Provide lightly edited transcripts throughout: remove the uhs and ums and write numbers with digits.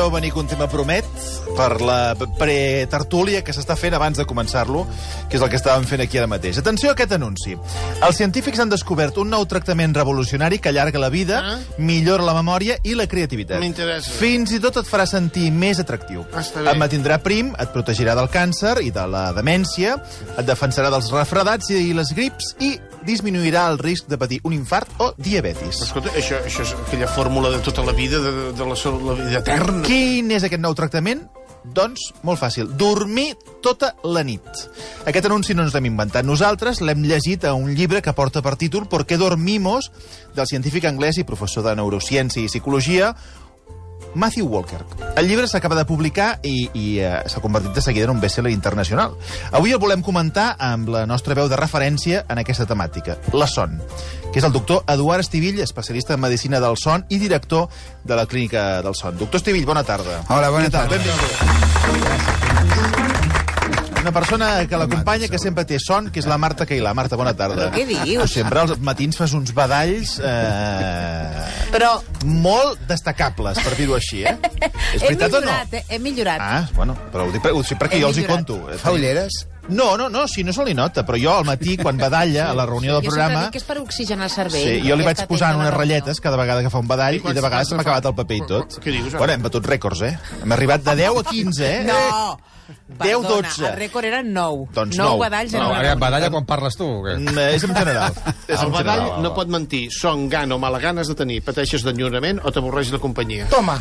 veieu venir que un tema promet per la pretertúlia que s'està fent abans de començar-lo, que és el que estàvem fent aquí ara mateix. Atenció a aquest anunci. Els científics han descobert un nou tractament revolucionari que allarga la vida, millora la memòria i la creativitat. M'interessa. Fins i tot et farà sentir més atractiu. Està bé. Et mantindrà prim, et protegirà del càncer i de la demència, et defensarà dels refredats i les grips i disminuirà el risc de patir un infart o diabetis. Escolta, això és aquella fórmula de tota la vida, de la vida eterna. Quin és aquest nou tractament? Doncs, molt fàcil, dormir tota la nit. Aquest anunci no ens l'hem inventat nosaltres, l'hem llegit a un llibre que porta per títol «Por qué dormimos?», del científic anglès i professor de neurociència i psicologia, Matthew Walker. El llibre s'acaba de publicar i s'ha convertit de seguida en un best-seller internacional. Avui el volem comentar amb la nostra veu de referència en aquesta temàtica, la son, que és el doctor Eduard Estivill, especialista en medicina del son i director de la Clínica del Son. Doctor Estivill, bona tarda. Hola, bona tarda. Una persona que l'acompanya, que sempre té son, que és la Marta Cailà. Marta, bona tarda. Però què dius? Sempre als matins fas uns badalls Però molt destacables, per dir-ho així, eh? És veritat o no? Hem millorat. Ah, bueno, però ho dic perquè jo els hi conto. Fa ulleres? No, si no se li nota, però jo al matí, quan badalla, a la reunió del Jo sempre programa... dic que és per oxigenar el cervell. Sí, jo li vaig Aquesta posant tenda unes de ratlletes cada vegada que fa un badall i de vegades se m'ha acabat el paper i tot. Què dius, ara? Bueno, hem batut rècords, eh? Hem arribat de 10 a 15, eh? No! 10, 12. El rècord era 9. Doncs 9 nou. badalls en No, una Ara, reunió. badalla quan parles tu, o què? És en general. El badall no pot mentir. Son, gana o mala gana has de tenir. Pateixes d'enyorament o t'avorreix la companyia. Toma!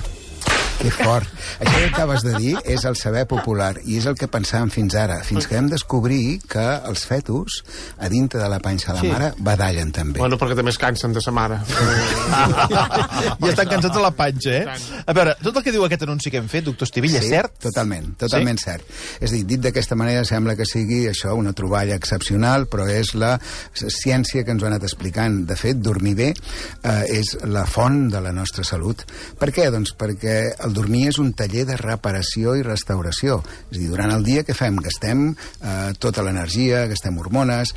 Que fort. Això que acabes de dir és el saber popular i és el que pensàvem fins ara, fins que vam descobrir que els fetus, a dintre de la panxa de la mare, badallen també. Bueno, perquè també es cansen de sa mare. I estan cansats a la panxa, eh? A veure, tot el que diu aquest anunci que hem fet, doctor Estivill, és cert? Totalment cert. És a dir, dit d'aquesta manera sembla que sigui això una troballa excepcional, però és la ciència que ens ho ha anat explicant. De fet, dormir bé és la font de la nostra salut. Per què? Doncs perquè el dormir és un taller de reparació i restauració. És a dir, durant el dia què fem? Gastem tota l'energia, gastem hormones,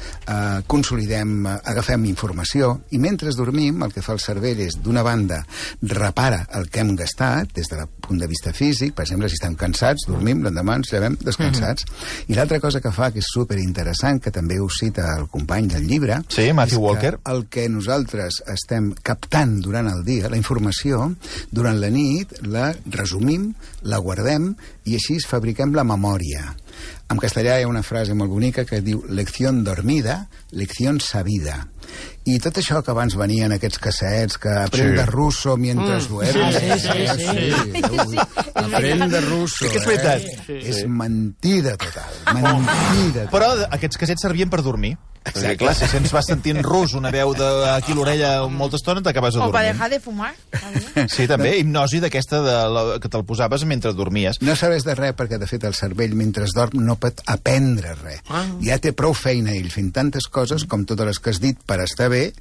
consolidem, agafem informació, i mentre dormim el que fa el cervell és, d'una banda, repara el que hem gastat des del punt de vista físic. Per exemple, si estem cansats, dormim, l'endemà ens llevem descansats. I l'altra cosa que fa, que és superinteressant, que també ho cita el company del llibre, Sí, Matthew Walker. el que nosaltres estem captant durant el dia, la informació, durant la nit, la resumim, la guardem i així fabriquem la memòria. En castellà hi ha una frase molt bonica que diu lección dormida, lección sabida. I tot això que abans venien aquests cassets, que aprende ruso mientras duermes... Aprende ruso, És que és veritat. És mentida total, mentida total. Però aquests casets servien per dormir. Exacte. Clar, si ens vas sentint rus, una veu aquí a l'orella molta estona, t'acabes O para adormint. dejar de fumar. Sí, també, hipnosi d'aquesta que te'l posaves mentre dormies. No serveix de res perquè, de fet, el cervell, mentre dorm, no pot aprendre res. Ja té prou feina ell fent tantes coses, com totes les que has dit, per estar bé,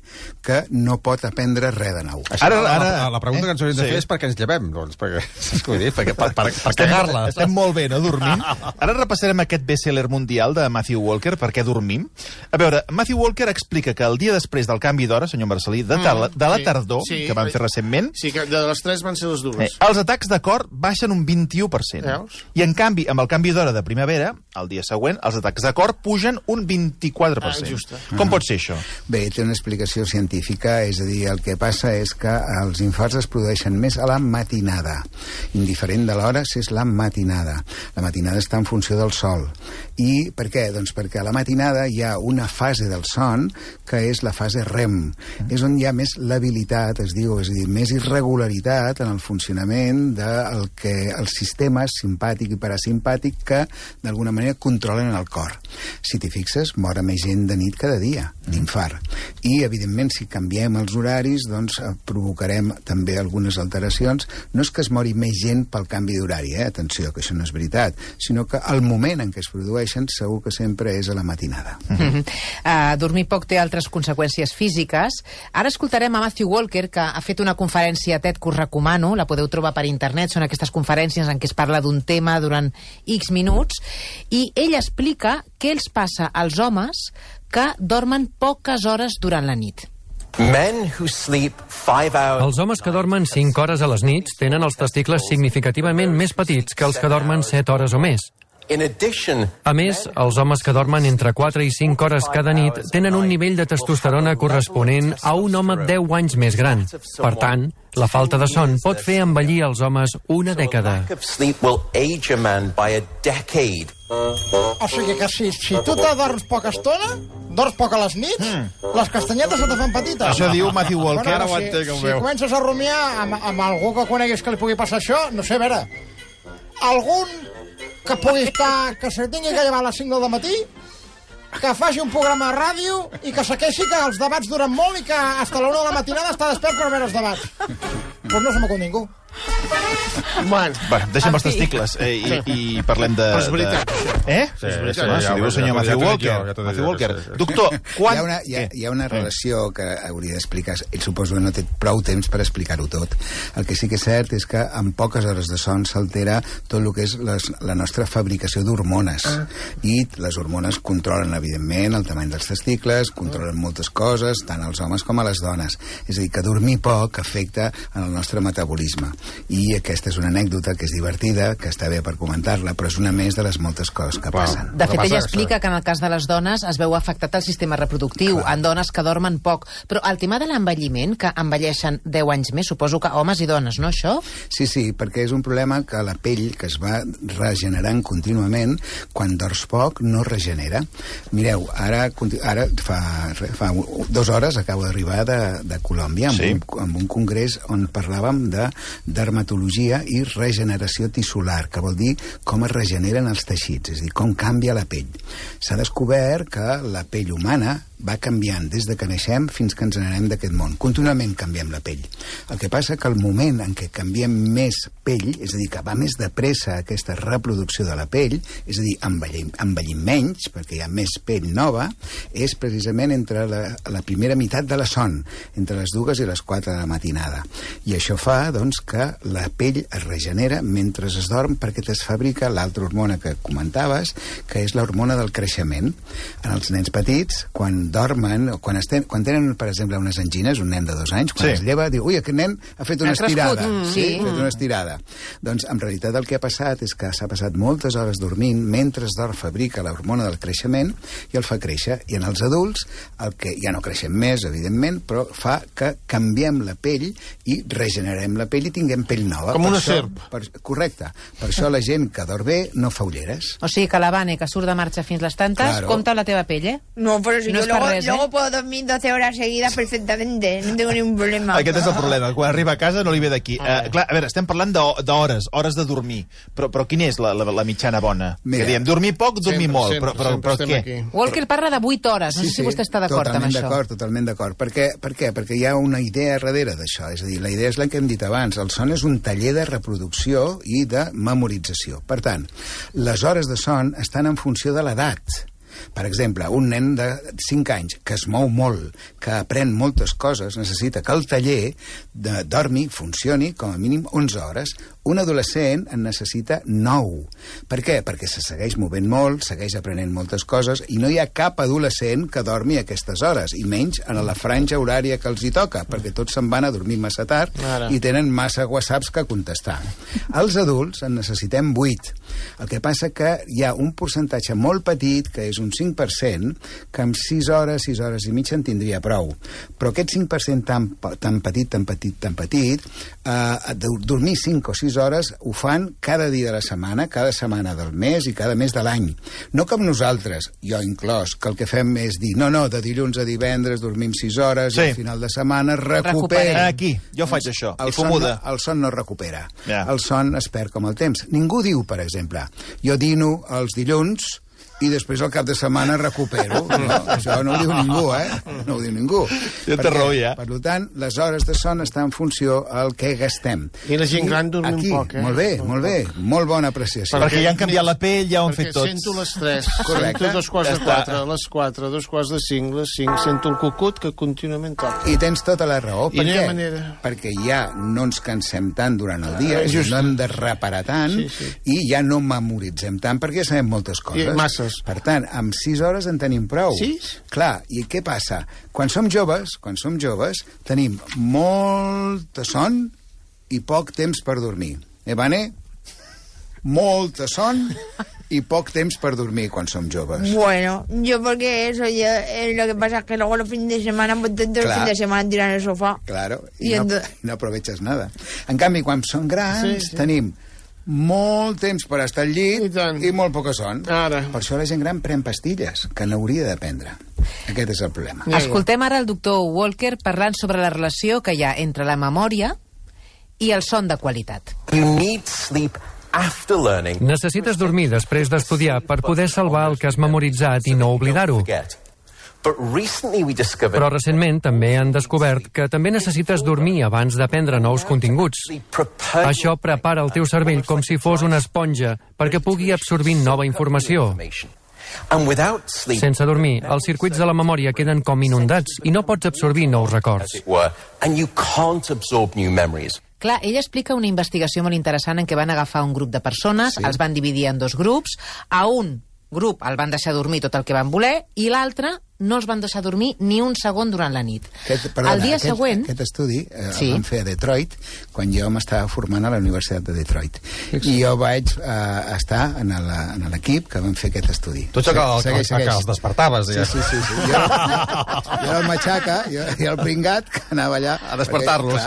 que no pot aprendre res de nou. La pregunta que ens hauríem de fer és per què ens llevem, doncs, per cagar-la. Estem molt bé, no?, dormint. Ara repassarem aquest best-seller mundial de Matthew Walker, Per què dormim? A veure, Matthew Walker explica que el dia després del canvi d'hora, senyor Marcelí, de la tardor, que van fer recentment, Sí, que de les 3 van ser les dues. els atacs de cor baixen un 21%. Veus? I, en canvi, amb el canvi d'hora de primavera, el dia següent, els atacs de cor pugen un 24%. Justa. Com pot ser això? Bé, té una explicació científica, és a dir, el que passa és que els infarts es produeixen més a la matinada, indiferent de l'hora si és la matinada. La matinada està en funció del sol. I per què? Doncs perquè a la matinada hi ha una fase del son que és la fase REM. És on hi ha més labilitat, es diu, és a dir, més irregularitat en el funcionament del que els sistemes simpàtic i parasimpàtic que d'alguna manera controlen el cor. Si t'hi fixes, mor més gent de nit cada dia, d'infart. I, evidentment, si canviem els horaris, doncs provocarem també algunes alteracions. No és que es mori més gent pel canvi d'horari, atenció, que això no és veritat, sinó que el moment en què es produeixen segur que sempre és a la matinada. Dormir poc té altres conseqüències físiques. Ara escoltarem a Matthew Walker, que ha fet una conferència TED que us recomano, la podeu trobar per internet, són aquestes conferències en què es parla d'un tema durant X minuts, i ell explica què els passa als homes que dormen poques hores durant la nit. Els homes que dormen 5 hores a les nits tenen els testicles significativament més petits que els que dormen 7 hores o més. A més, els homes que dormen entre 4 i 5 hores cada nit tenen un nivell de testosterona corresponent a un home 10 anys més gran. Per tant, la falta de son pot fer envellir els homes una dècada. O sigui que si tu t'adorms poca estona, dorms poc a les nits, les castanyetes se te fan petites. Això diu Matthew Walker. Si comences a rumiar amb algú que coneguis que li pugui passar això, no sé, a veure, algun que pugui estar, que se tingui que llevar a les 5 del matí, que faci un programa de ràdio i que se queixi que els debats duren molt i que fins a la 1 de la matinada està despert per veure els debats. Doncs no se m'acut ningú. Bueno, deixem els testicles i parlem de... Però és veritat. S'ho diu el senyor Matthew Walker. Doctor, quan... Hi ha una relació que hauria d'explicar. Ell suposo que no té prou temps per explicar-ho tot. El que sí que és cert és que en poques hores de son s'altera tot el que és la nostra fabricació d'hormones. I les hormones controlen, evidentment, el tamany dels testicles, controlen moltes coses, tant als homes com a les dones. És a dir, que dormir poc afecta en el nostre metabolisme. I aquesta és una anècdota que és divertida, que està bé per comentar-la, però és una més de les moltes coses que passen. De fet, ella explica que en el cas de les dones es veu afectat el sistema reproductiu, en dones que dormen poc. Però el tema de l'envelliment, que envelleixen 10 anys més, suposo que homes i dones, no, això? Sí, perquè és un problema que la pell, que es va regenerant contínuament, quan dors poc no regenera. Mireu, ara fa 2 hores acabo d'arribar de Colòmbia amb un congrés on parlàvem de dermatologia i regeneració tissular, que vol dir com es regeneren els teixits, és a dir, com canvia la pell. S'ha descobert que la pell humana va canviant des de que naixem fins que ens n'anem d'aquest món. Continuament canviem la pell. El que passa que el moment en què canviem més pell, és a dir, que va més de pressa aquesta reproducció de la pell, és a dir, envellim menys, perquè hi ha més pell nova, és precisament entre la primera meitat de la son, entre les 2 i les 4 de la matinada. I això fa, doncs, que la pell es regenera mentre es dorm perquè es fabrica l'altra hormona que comentaves, que és l'hormona del creixement. En els nens petits, quan dormen, o quan tenen, per exemple, unes angines, un nen de 2 anys, quan es lleva, diu, ui, aquest nen ha fet una estirada. Ha fet una estirada. Doncs, en realitat, el que ha passat és que s'ha passat moltes hores dormint mentre es dorm fabrica l'hormona del creixement i el fa créixer. I en els adults, el que ja no creixem més, evidentment, però fa que canviem la pell i regenerem la pell i tinguem pell nova. Com una serp. Correcte. Per això la gent que dorm bé no fa ulleres. O sigui que la Vane, que surt de marxa fins les tantes, compta la teva pell, eh? No, però si no yo luego puedo dormir 12 horas seguidas perfectamente, no tengo ningún problema. Aquest és el problema, quan arriba a casa no li ve d'aquí. Clar, a veure, estem parlant d'hores, hores de dormir, però quina és la mitjana bona? Que diem, dormir poc, dormir molt, però què? Walker parla de 8 hores, no sé si vostè està d'acord amb això. Totalment d'acord. Per què? Perquè hi ha una idea darrere d'això, és a dir, la idea és la que hem dit abans, el son és un taller de reproducció i de memorització. Per tant, les hores de son estan en funció de l'edat. Per exemple, un nen de 5 anys que es mou molt, que aprèn moltes coses, necessita que el taller dormi, funcioni com a mínim 11 hores. Un adolescent en necessita 9. Per què? Perquè se segueix movent molt, segueix aprenent moltes coses i no hi ha cap adolescent que dormi a aquestes hores, i menys en la franja horària que els hi toca, perquè tots se'n van a dormir massa tard i tenen massa whatsapps que contestar. Els adults en necessitem 8. El que passa que hi ha un percentatge molt petit, que és un 5%, que amb 6 hores i mitja en tindria prou. Però aquest 5% tan petit, dormir 5 o 6 hores ho fan cada dia de la setmana, cada setmana del mes i cada mes de l'any. No com nosaltres, jo inclòs, que el que fem és dir, no, de dilluns a divendres dormim 6 hores i al final de setmana recupera. Aquí, jo faig això, i fumuda. El son no recupera. El son es perd com el temps. Ningú diu, per exemple, jo dino els dilluns i després al cap de setmana recupero. No, això no ho diu ningú, No ho diu ningú. Jo té raó, ja. Per tant, les hores de son estan en funció al que gastem. I la gent gran dormim poc, Molt bé. Molt bona apreciació. Perquè ja han canviat la pell, ja ho han fet tots. Perquè sento les 3, sento 2 quarts de 4, les 4, 2 quarts de 5, les 5, sento el cucut que contínuament toca. I tens tota la raó. Per què? Perquè ja no ens cansem tant durant el dia, no hem de reparar tant i ja no memoritzem tant perquè ja sabem moltes coses. hores. Per tant, amb 6 hores en tenim prou. 6? Clar, i què passa? Quan som joves, tenim molta son i poc temps per dormir. Vane? Molta son y poco tiempo para dormir cuando son jóvenes. Bueno, yo porque eso, lo que pasa es que luego los fines de semana, pues todo el fin de semana tiran el sofá. Claro, y no aprovechas nada. En canvi, quan són grans, tenim molt temps per estar al llit i molt poca son. Ara. Per això la gent gran pren pastilles, que n'hauria de prendre. Aquest és el problema. Escoltem ara el doctor Walker parlant sobre la relació que hi ha entre la memòria i el son de qualitat. You need sleep after learning. Necessites dormir després d'estudiar per poder salvar el que has memoritzat i no oblidar-ho. Però recentment també han descobert que també necessites dormir abans d'aprendre nous continguts. Això prepara el teu cervell com si fos una esponja perquè pugui absorbir nova informació. Sense dormir, els circuits de la memòria queden com inundats i no pots absorbir nous records. Clar, ella explica una investigació molt interessant en què van agafar un grup de persones, els van dividir en 2 grups, a un grup el van deixar dormir tot el que van voler i l'altre no els van deixar dormir ni un segon durant la nit. El dia següent... Aquest estudi el van fer a Detroit, quan jo m'estava formant a la Universitat de Detroit. I jo vaig estar en l'equip que van fer aquest estudi. Tu ets que els despertaves. Sí. Jo era el matxaca, jo era el pringat que anava allà a despertar-los.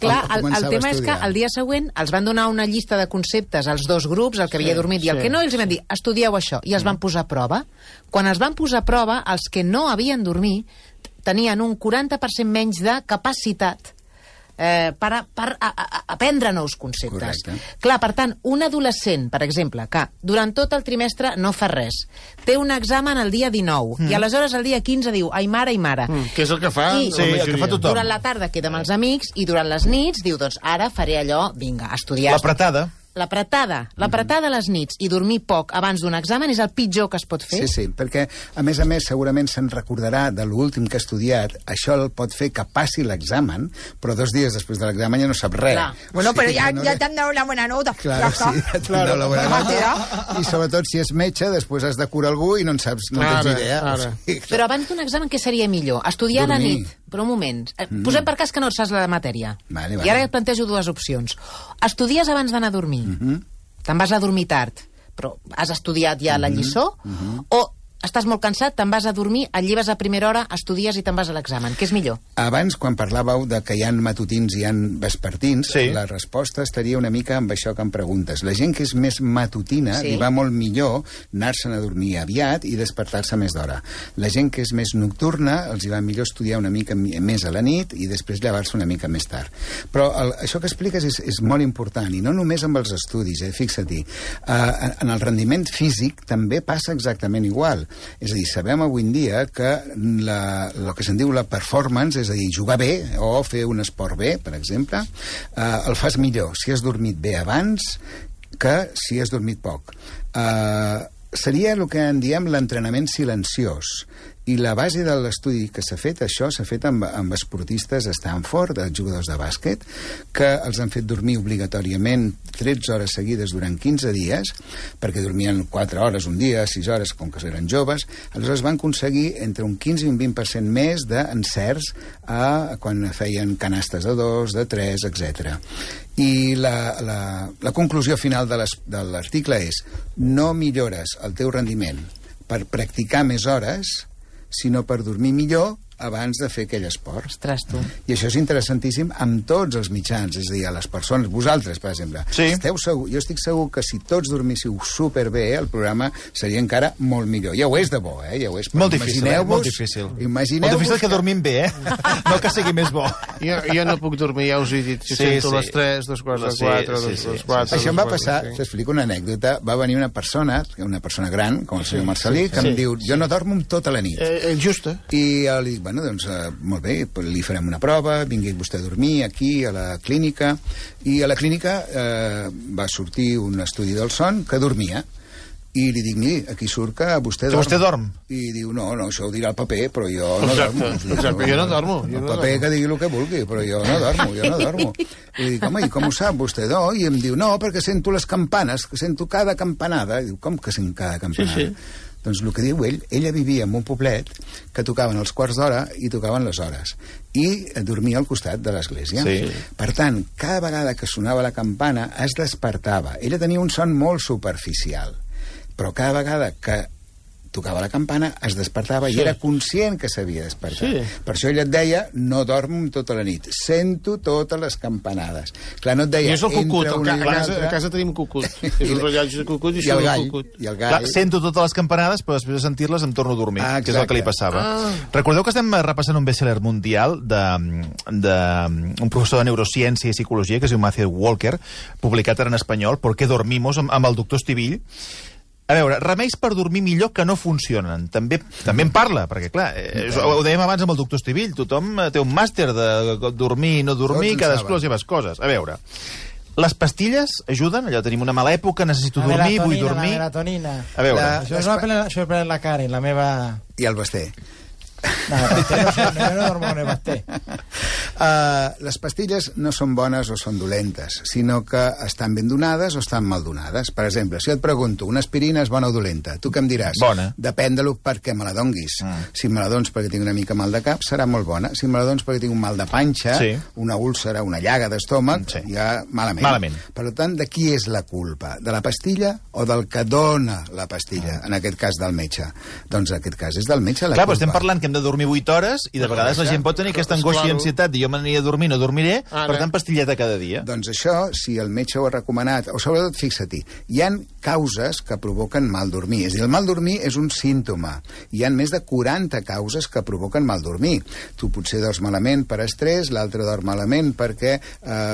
Clar, el tema és que el dia següent els van donar una llista de conceptes als 2 grups, el que havia dormit i el que no, i els van dir, estudieu això, i els van posar a prova. Quan els van posar a prova, els que no havien dormit tenien un 40% menys de capacitat per aprendre nous conceptes. Correcte. Clar, per tant, un adolescent, per exemple, que durant tot el trimestre no fa res, té un examen el dia 19, i aleshores el dia 15 diu, ai mare. Que és el que fa el que fa tothom. Durant la tarda queda amb els amics, i durant les nits diu, doncs ara faré allò, vinga, a estudiar. L'apretada a les nits i dormir poc abans d'un examen és el pitjor que es pot fer? Sí, perquè, a més, segurament se'n recordarà de l'últim que ha estudiat. Això el pot fer que passi l'examen, però 2 dies després de l'examen ja no sap res. Bueno, però ja t'han dado la buena nota. Claro, sí, ja t'han dado la buena nota. I sobretot, si és metge, després has de curar algú i no en saps, no tens idea. Però abans d'un examen, què seria millor? Estudiar a la nit? Però un moment. Posem per cas que no et saps la matèria. Vale. I ara et plantejo 2 opcions. Estudies abans d'anar a dormir. Te'n vas a dormir tard, però has estudiat ja la lliçó, o estàs molt cansat, te'n vas a dormir, et lleves a primera hora, estudies i te'n vas a l'examen. Què és millor? Abans, quan parlàveu de que hi ha matutins i hi ha vespertins, la resposta estaria una mica amb això que em preguntes. La gent que és més matutina li va molt millor anar-se'n a dormir aviat i despertar-se més d'hora. La gent que és més nocturna els hi va millor estudiar una mica més a la nit i després llevar-se una mica més tard. Però això que expliques és molt important, i no només amb els estudis, fixa-t'hi. En el rendiment físic també passa exactament igual. És a dir, sabem avui en dia que el que se'n diu la performance, és a dir, jugar bé o fer un esport bé, per exemple, el fas millor si has dormit bé abans que si has dormit poc. Seria el que en diem l'entrenament silenciós. I la base de l'estudi que s'ha fet, això s'ha fet amb esportistes a Stanford, jugadors de bàsquet, que els han fet dormir obligatòriament 13 hores seguides durant 15 dies, perquè dormien 4 hores un dia, 6 hores, com que eren joves. Aleshores van aconseguir entre un 15 i un 20% més d'encerts quan feien canastes de 2, de 3, etc. I la conclusió final de l'article és: no millores el teu rendiment per practicar més hores, sinó per dormir millor abans de fer aquell esport. Ostres, tu. I això és interessantíssim amb tots els mitjans, és a dir, a les persones, vosaltres, per exemple. Esteu segur, jo estic segur que si tots dormíssiu superbé, el programa seria encara molt millor. Ja ho és de bo, ja ho és. Molt difícil, molt difícil. Imagineu-vos... Molt difícil que dormim bé, no que sigui més bo. Jo no puc dormir, ja us he dit. Si sento les 3, 2 quarts de 4, 2 quarts... Això em va passar, t'explico una anècdota. Va venir una persona gran, com el senyor Marcelí, que em diu, jo no dormo tota la nit. Justa. I li dic, bueno, doncs, molt bé, li farem una prova, vingui vostè a dormir aquí, a la clínica, i a la clínica va sortir un estudi del son que dormia. I li dic, miri, aquí surt que vostè dorm. Vostè dorm. I diu, no, això ho dirà el paper, però jo no dormo. Exacte, jo no dormo. El paper que digui el que vulgui, però jo no dormo. I li dic, home, i com ho sap vostè? No? I em diu, no, perquè sento les campanes, que sento cada campanada. I diu, com que sent cada campanada? Sí. Doncs el que diu ella vivia en un poblet que tocaven els quarts d'hora i tocaven les hores. I dormia al costat de l'església. Sí. Per tant, cada vegada que sonava la campana es despertava. Ella tenia un son molt superficial, però cada vegada que tocava la campana es despertava i era conscient que s'havia despertat. Sí. Per això ella et deia, no dormo tota la nit, sento totes les campanades. Clar, no et deia, I és el cucut, a casa tenim cucut. És un rellotge de cucut i això és el cucut. I el gall. Clar, sento totes les campanades, però després de sentir-les em torno a dormir, que és el que li passava. Recordeu que estem repassant un best-seller mundial d'un professor de neurociència i psicologia, que es diu Matthew Walker, publicat ara en espanyol, ¿Por qué dormimos?, amb el doctor Estivill. A veure, remeis per dormir millor que no funcionen. També en parla, perquè, clar, ho dèiem abans amb el doctor Estivill, tothom té un màster de dormir i no dormir, cadascú les seves coses. A veure, les pastilles ajuden? Allò, tenim una mala època, necessito dormir, vull dormir... La melatonina. A veure... Això ho pren la Karen, la meva... I el Basté. No, jo no dormo en el Basté. Les pastilles no són bones o són dolentes, sinó que estan ben donades o estan mal donades. Per exemple, si et pregunto, una aspirina és bona o dolenta? Tu què em diràs? Bona. Depèn de per què me la donguis. Si me la dones perquè tinc una mica mal de cap, serà molt bona. Si me la dones perquè tinc un mal de panxa, una úlcera, una llaga d'estómac, ja malament. Per tant, de qui és la culpa? De la pastilla o del que dona la pastilla? En aquest cas, del metge. Doncs en aquest cas és del metge la culpa. Clar, però estem parlant que hem de dormir 8 hores i de vegades la gent pot tenir aquesta angoixa i ansietat de jo m'aniria a dormir, no dormiré, per tant, pastilleta cada dia. Doncs això, si el metge ho ha recomanat, o sobretot, fixa-t'hi, hi ha causes que provoquen mal dormir. És a dir, el mal dormir és un símptoma. Hi ha més de 40 causes que provoquen mal dormir. Tu potser dors malament per estrès, l'altre dorm malament perquè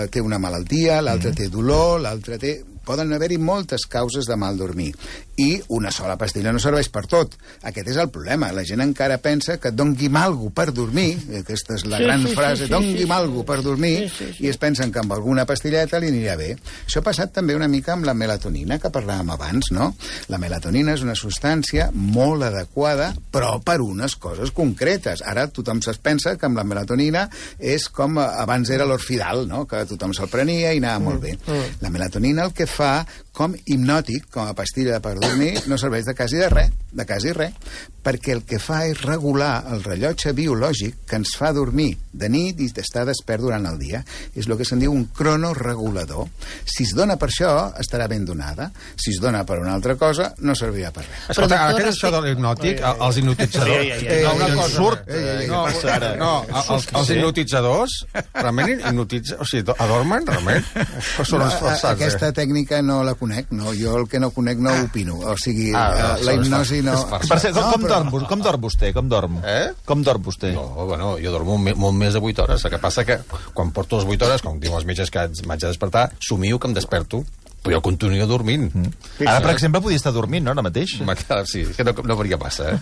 té una malaltia, l'altre té dolor, l'altre té... Poden haver-hi moltes causes de mal dormir. I una sola pastilla no serveix per tot. Aquest és el problema. La gent encara pensa que dongui'm algo per dormir, aquesta és la gran frase, dongui'm algo per dormir, i es pensen que amb alguna pastilleta li anirà bé. Això ha passat també una mica amb la melatonina, que parlàvem abans, no? La melatonina és una substància molt adequada, però per unes coses concretes. Ara tothom es pensa que amb la melatonina és com abans era l'Orfidal, no? Que tothom se'l prenia i anava molt bé. La melatonina el que fa com hipnòtic, com a pastilla per dormir, no serveix de quasi res, perquè el que fa és regular el rellotge biològic que ens fa dormir de nit i estar despert durant el dia. És el que se'n diu un cronoregulador. Si es dona per això, estarà ben donada. Si es dona per una altra cosa, no servirà per res. Escolta, ara que és això de l'hipnòtic, els hipnotitzadors... Els hipnotitzadors realment hipnotitzen... O sigui, adormen, realment? Aquesta tècnica no la conec, no. Jo el que no conec no opino. O sigui, la hipnosi no... Per cert, com dorm vostè? Com dorm? Com dorm vostè? No, bueno, jo dormo molt més de 8 hores. El que passa que quan porto les 8 hores, com diuen els metges que m'haig de despertar, somio que em desperto, però jo continuo dormint. Ara, per exemple, podia estar dormint, no, ara mateix? Sí, que no faria passa,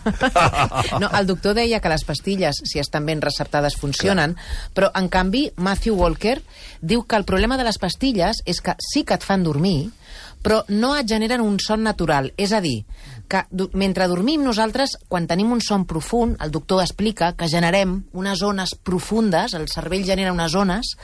No, el doctor deia que les pastilles, si estan ben receptades, funcionen, però, en canvi, Matthew Walker diu que el problema de les pastilles és que sí que et fan dormir, però no et generen un son natural. És a dir, que mentre dormim nosaltres, quan tenim un son profund, el doctor explica que generem unes ones profundes, el cervell genera unes ones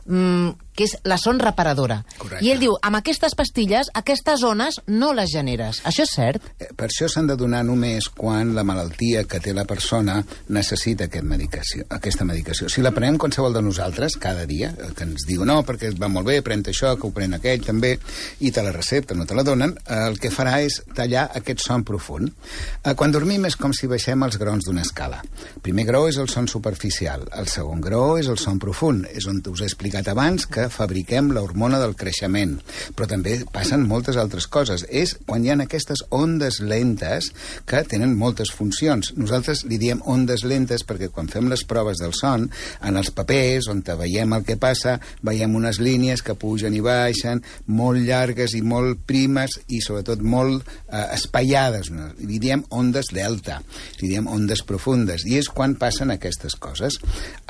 que és la son reparadora. Correcte. I ell diu, amb aquestes pastilles, aquestes zones no les generes. Això és cert? Per això s'han de donar només quan la malaltia que té la persona necessita aquesta medicació. Si la prenem qualsevol de nosaltres, cada dia, que ens diu, no, perquè va molt bé, pren això, que ho pren aquell, també, i te la recepta, no te la donen, el que farà és tallar aquest son profund. Quan dormim és com si baixem els graons d'una escala. El primer graó és el son superficial, el segon graó és el son profund, és on us he explicat abans que fabriquem l'hormona del creixement, però també passen moltes altres coses. És quan hi ha aquestes ondes lentes que tenen moltes funcions. Nosaltres li diem ondes lentes perquè quan fem les proves del son, en els papers, on veiem el que passa, veiem unes línies que pugen i baixen, molt llargues i molt primes i sobretot molt espaiades allargades, li diem ondes delta, li diem ondes profundes, i és quan passen aquestes coses.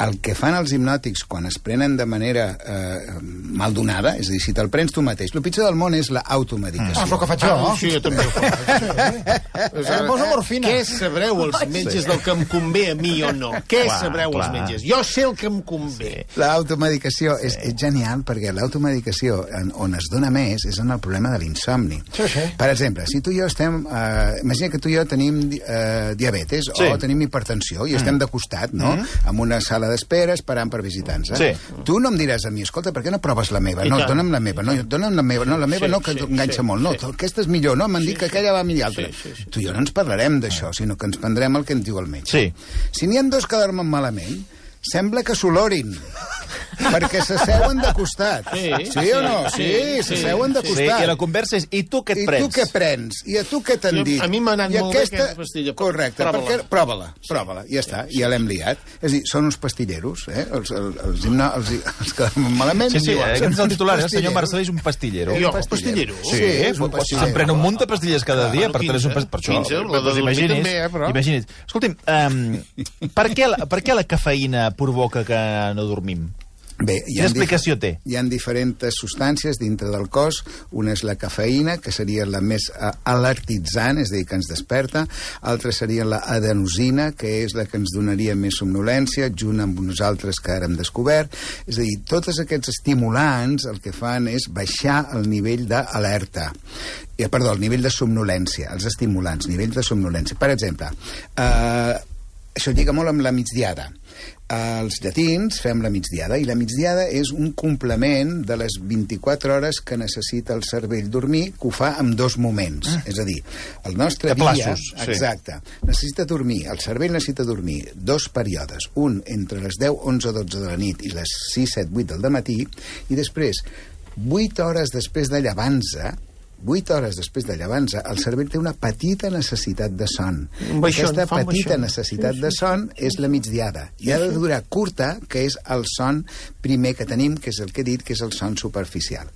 El que fan els hipnòtics quan es prenen de manera maldonada, és a dir, si te'l prens tu mateix, el pitjor del món és l'automedicació. És el que faig jo. Sí, jo també ho faig. Em poso morfina. Què sabreu els metges del que em convé a mi o no? Què sabreu els metges? Jo sé el que em convé. L'automedicació és genial, perquè l'automedicació on es dona més és en el problema de l'insomni. Per exemple, si tu i jo estem... imagina que tu i jo tenim diabetes o tenim hipertensió i estem de costat, no? En una sala d'espera esperant per visitants. Tu no em diràs a mi, escolta, per què no proves la meva? No, dona'm la meva. No, dona'm la meva. No, la meva no, que enganxa molt. No, aquesta és millor. No, m'han dit que aquella va millor altra. Tu i jo no ens parlarem d'això, sinó que ens prendrem el que ens diu el metge. Si n'hi ha dos que dormen malament, sembla que s'olorin, perquè s'asseuen de costat. Sí o no? Sí, s'asseuen de costat. I la conversa és, i tu què et prens? I tu què prens? I a tu què t'han dit? A mi m'ha anat molt bé aquesta pastilla. Correcte, prova-la, ja està, ja l'hem liat. És a dir, són uns pastilleros, els que dormen malament. Sí, aquest és el titular, el senyor Marcel és un pastillero. Jo, pastillero? Sí, és un pastillero. Se'n pren un munt de pastilles cada dia, per això, imagina't. Escolti'm, per què la cafeïna provoca que no dormim? Bé, quina explicació té? Hi ha diferents substàncies dintre del cos. Una és la cafeïna, que seria la més alertitzant, és a dir, que ens desperta. Altra seria l'adenosina, que és la que ens donaria més somnolència, junt amb uns altres que ara hem descobert. És a dir, tots aquests estimulants el que fan és baixar el nivell d'alerta. Perdó, el nivell de somnolència, els estimulants, nivell de somnolència. Per exemple, això lliga molt amb la migdiada. Els llatins fem la migdiada, i la migdiada és un complement de les 24 hores que necessita el cervell dormir, que ho fa en dos moments. És a dir, el nostre dia... Exacte. Necessita dormir, el cervell necessita dormir dos períodes, un entre les 10, 11, 12 de la nit i les 6, 7, 8 del dematí, i després, 8 hores després de llevar-se, 8 hores després de llevar-se, el cervell té una petita necessitat de son. Aquesta petita necessitat de son és la migdiada. I ha de durar curta, que és el son primer que tenim, que és el que he dit, que és el son superficial.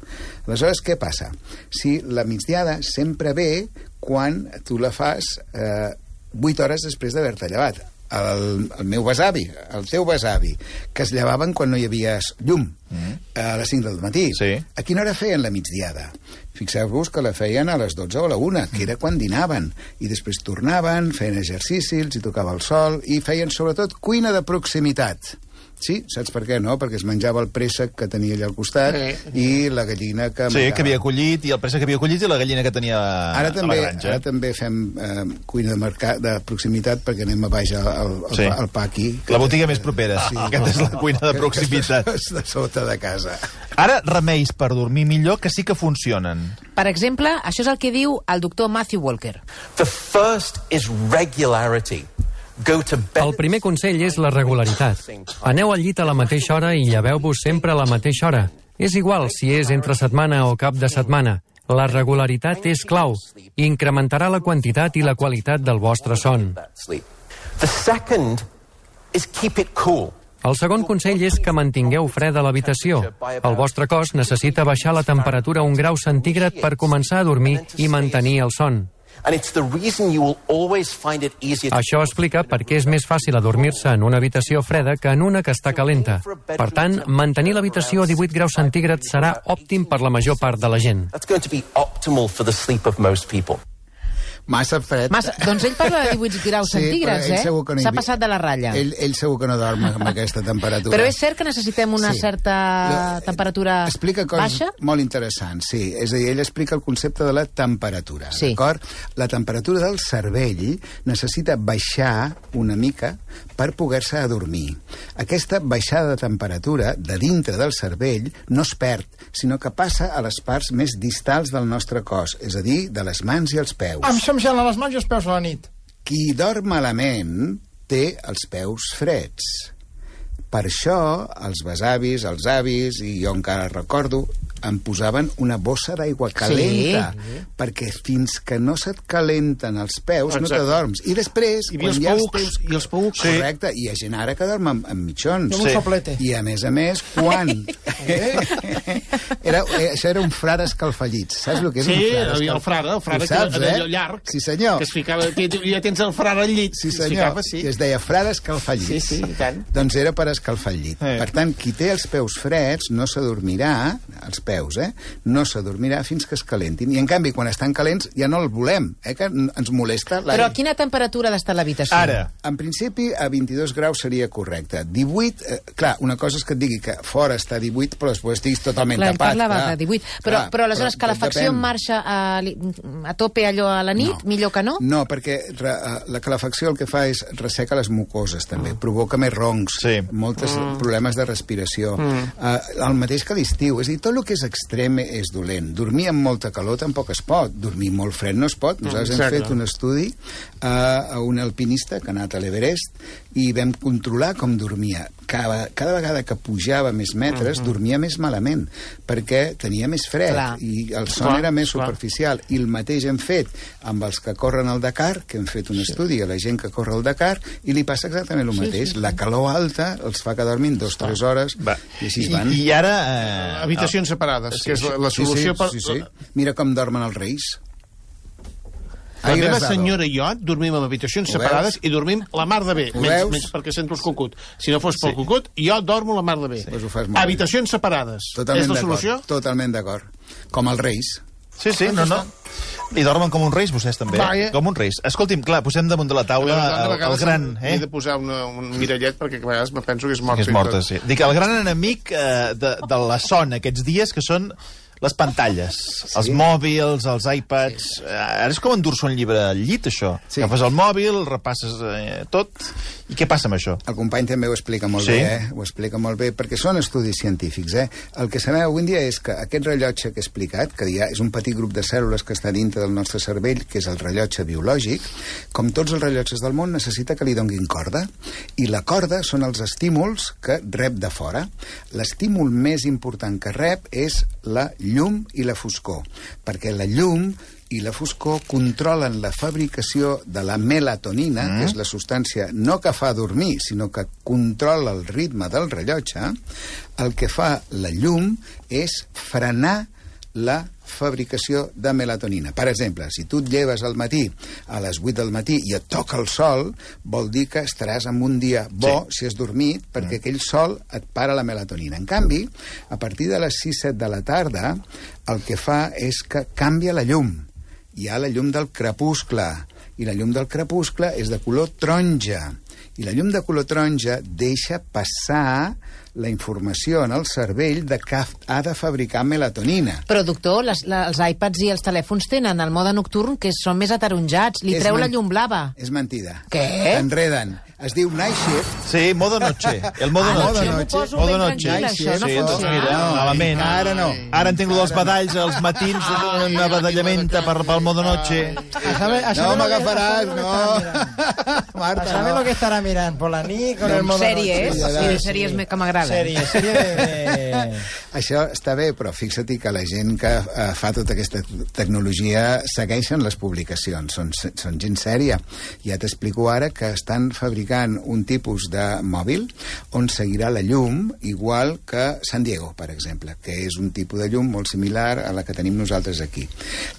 Aleshores, què passa? Si la migdiada sempre ve quan tu la fas 8 hores després d'haver-te llevat. El meu besavi, el teu besavi, que es llevaven quan no hi havia llum, a les 5 del matí. A quina hora feien la migdiada? Fixeu-vos que la feien a les 12 o a la 1, que era quan dinaven, i després tornaven, feien exercici, els hi tocava el sol, i feien sobretot cuina de proximitat. Sí, saps per què, no? Perquè es menjava el préssec que tenia allà al costat i la gallina que... Sí, que havia collit, i el préssec que havia collit i la gallina que tenia a la granja. Ara també fem cuina de proximitat perquè anem a baix al pa aquí. La botiga més propera. Aquesta és la cuina de proximitat. De sota de casa. Ara, remeis per dormir millor que sí que funcionen. Per exemple, això és el que diu el doctor Matthew Walker. The first is regularity. El primer consell és la regularitat. Aneu al llit a la mateixa hora i lleveu-vos sempre a la mateixa hora. És igual si és entre setmana o cap de setmana. La regularitat és clau. Incrementarà la quantitat i la qualitat del vostre son. El segon consell és que mantingueu freda l'habitació. El vostre cos necessita baixar la temperatura a 1 grau centígrad per començar a dormir i mantenir el son. Això explica per què és més fàcil adormir-se en una habitació freda que en una que està calenta. Per tant, mantenir l'habitació a 18 graus centígrads serà òptim per la major part de la gent. Massa fred. Doncs ell parla de 18 graus centígrads, S'ha passat de la ratlla. Ell segur que no dorm amb aquesta temperatura. Però és cert que necessitem una certa temperatura baixa? Explica coses molt interessants, sí. És a dir, ell explica el concepte de la temperatura, d'acord? La temperatura del cervell necessita baixar una mica per poder-se adormir. Aquesta baixada de temperatura de dintre del cervell no es perd, sinó que passa a les parts més distals del nostre cos, és a dir, de les mans i els peus. Em gelen les mans i els peus a la nit. Qui dorm malament té els peus freds. Per això, els besavis, els avis, i jo encara recordo, em posaven una bossa d'aigua calenta, perquè fins que no se't calenten els peus no t'adorms. I després, quan ja els peus... Correcte, i hi ha gent ara que dorm amb mitjons. Un soplete. I a més, quan... Això era un frare escalfallit. Saps el que és un frare? Sí, el frare allò llarg. Sí, senyor. Que es ficava... Ja tens el frare al llit. Sí, senyor. I es deia frare escalfallit. Sí, i tant. Doncs era per escalfar el llit. Per tant, qui té els peus freds no s'adormirà, els peus, no s'adormirà fins que es calentin. I, en canvi, quan estan calents ja no el volem, que ens molesta l'aire. Però a quina temperatura ha d'estar l'habitació? Ara. En principi, a 22 graus seria correcte. 18, clar, una cosa és que et digui que fora està a 18, però després estiguis totalment tapat. Clar, parlava de 18. Però aleshores, calefacció en marxa a tope allò a la nit, millor que no? No, perquè la calefacció el que fa és resseca les mucoses, també. Provoca més roncs, molts problemes de respiració. El mateix que l'estiu. És a dir, tot el que és extrem és dolent. Dormir amb molta calor tampoc es pot. Dormir molt fred no es pot. Nosaltres hem fet un estudi a un alpinista que ha anat a l'Everest i vam controlar com dormia. Cada vegada que pujava més metres, dormia més malament, perquè tenia més fred i el son era més superficial. I el mateix hem fet amb els que corren al Dakar, que hem fet un estudi a la gent que corre al Dakar, i li passa exactament el mateix. La calor alta els fa que dormin 2-3 hores i així van. I ara... Habitacions separades, que és la solució per... Mira com dormen els reis. La meva senyora i jo dormim en habitacions separades i dormim la mar de bé, menys perquè sento el cucut. Si no fos pel cucut, jo dormo la mar de bé. Habitacions separades. És la solució? Totalment d'acord. Com els reis. Sí, no. I dormen com uns reis, vostès també. Com uns reis. Escolti'm, clar, posem damunt de la taula el gran... He de posar un mirallet perquè a vegades me penso que és morta. Que és morta, sí. Dic, el gran enemic de la son aquests dies, que són les pantalles, els mòbils, els iPads... Ara és com endur-se un llibre al llit, això. Agafes el mòbil, repasses tot... I què passa amb això? El company també ho explica molt bé, ho explica molt bé, perquè són estudis científics, El que sabem avui en dia és que aquest rellotge que he explicat, que ja és un petit grup de cèl·lules que està dintre del nostre cervell, que és el rellotge biològic, com tots els rellotges del món, necessita que li donguin corda. I la corda són els estímuls que rep de fora. L'estímul més important que rep és la llum i la foscor, perquè la llum i la foscor controlen la fabricació de la melatonina, que és la substància no que fa dormir, sinó que controla el ritme del rellotge. El que fa la llum és frenar la fabricació de melatonina. Per exemple, si tu et lleves al matí a les 8 del matí i et toca el sol, vol dir que estaràs en un dia bo si has dormit, perquè aquell sol et para la melatonina. En canvi, a partir de les 6-7 de la tarda, el que fa és que canvia la llum. Hi ha la llum del crepuscle, i la llum del crepuscle és de color taronja. I la llum de color taronja deixa passar la informació en el cervell de que ha de fabricar melatonina. Però, doctor, els iPads i els telèfons tenen el mode nocturn, que són més ataronjats. Li treu la llum blava. És mentida. Què? T'enreden. Es diu night shift. Sí, modo noche. El modo noche. Modo noche. Sí, doncs mira, malament. Ara no. Ara entenc els badalls als matins, una badallamenta pel modo noche. No m'agafaràs, no. Marta, ¿sabes lo que estará mirando por la nit con el modo sèries, noche? Sèries que m'agraden. Això està bé, però fixa-t'hi que la gent que fa tota aquesta tecnologia segueixen les publicacions, són gent sèria. Ja t'explico ara que estan fabricant un tipus de mòbil on seguirà la llum igual que San Diego, per exemple, que és un tipus de llum molt similar a la que tenim nosaltres aquí.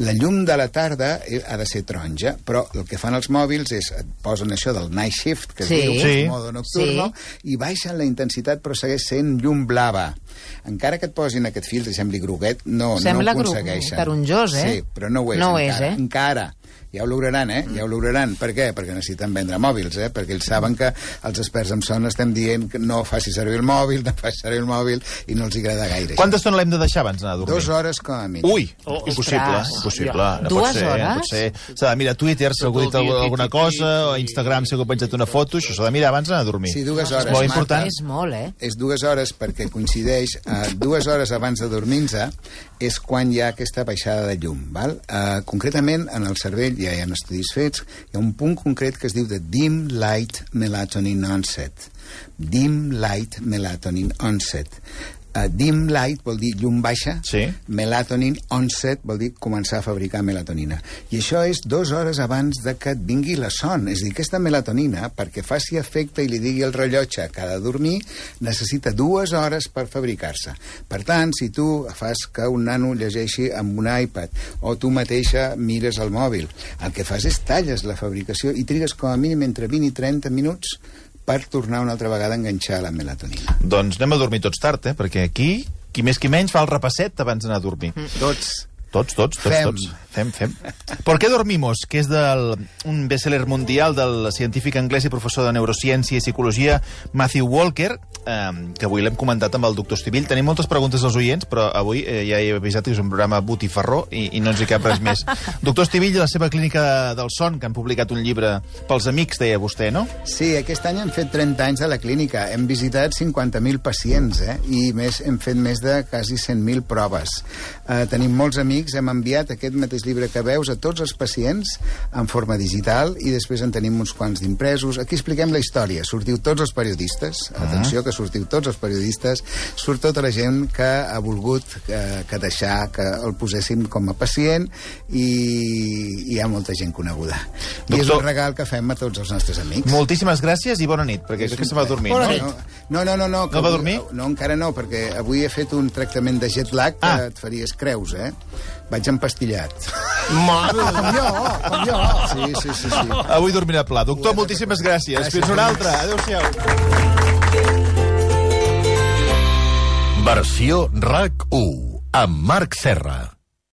La llum de la tarda ha de ser taronja, però el que fan els mòbils és et posen això del night shift, que es diu modo nocturno, i baixen la intensitat però segueix sent llum blava. Encara que et posin aquest filtre i sembli groguet, no ho aconsegueixen. Sembla taronjós, Sí, però no ho és encara. Encara. Ja ho lograran, Ja ho lograran. Per què? Perquè necessiten vendre mòbils, perquè ells saben que els experts en son estem dient que no faci servir el mòbil, i no els agrada gaire. Quanta estona l'hem de deixar abans d'anar a dormir? 2 hores com a mínim. Ui, impossible. No 2 hores? S'ha de mirar Twitter, si algú ha dit alguna cosa, o Instagram, si algú ha penjat una foto, això s'ha de mirar abans d'anar a dormir. Sí, 2 hores. És molt important. És molt, És 2 hores perquè coincideix 2 hores abans de dormir-se és quan hi ha aquesta baixada de llum, val? Concretament, en el cervell ja hi ha estudis fets, hi ha un punt concret que es diu de dim light melatonin onset. Dim light melatonin onset. Dim light vol dir llum baixa, melatonin onset vol dir començar a fabricar melatonina. I això és 2 hores abans de que et vingui la son. És a dir, aquesta melatonina, perquè faci efecte i li digui al rellotge que ha de dormir, necessita 2 hores per fabricar-se. Per tant, si tu fas que un nano llegeixi amb un iPad o tu mateixa mires el mòbil, el que fas és talles la fabricació i trigues com a mínim entre 20 i 30 minuts per tornar una altra vegada a enganxar la melatonina. Doncs anem a dormir tots tard, perquè aquí, qui més qui menys, fa el repasset abans d'anar a dormir. Tots. Fem. ¿Por qué dormimos? Que és un bestseller mundial del científic anglès i professor de neurociència i psicologia Matthew Walker, que avui l'hem comentat amb el doctor Estivill. Tenim moltes preguntes als oients, però avui ja he avisat que és un programa botifarró i no ens hi cap res més. Doctor Estivill, la seva clínica del son, que han publicat un llibre pels amics, deia vostè, no? Sí, aquest any hem fet 30 anys a la clínica. Hem visitat 50.000 pacients, i hem fet més de quasi 100.000 proves. Tenim molts amics, hem enviat aquest mateix llibre que veus a tots els pacients en forma digital i després en tenim uns quants d'impresos. Aquí expliquem la història. Sortiu tots els periodistes. Atenció, que sortiu tots els periodistes. Surt tota la gent que ha volgut que deixar que el poséssim com a pacient i hi ha molta gent coneguda. I és un regal que fem a tots els nostres amics. Moltíssimes gràcies i bona nit, perquè crec que se va dormir, no? No. No va dormir? No, encara no, perquè avui he fet un tractament de jet lag que et faries creus, Vaig empastillat. Mare, com jo. Sí. Avui dormirà pla. Doctor, moltíssimes gràcies. Fins una altra. Adéu-siau. Versió RAC 1 amb Marc Serra.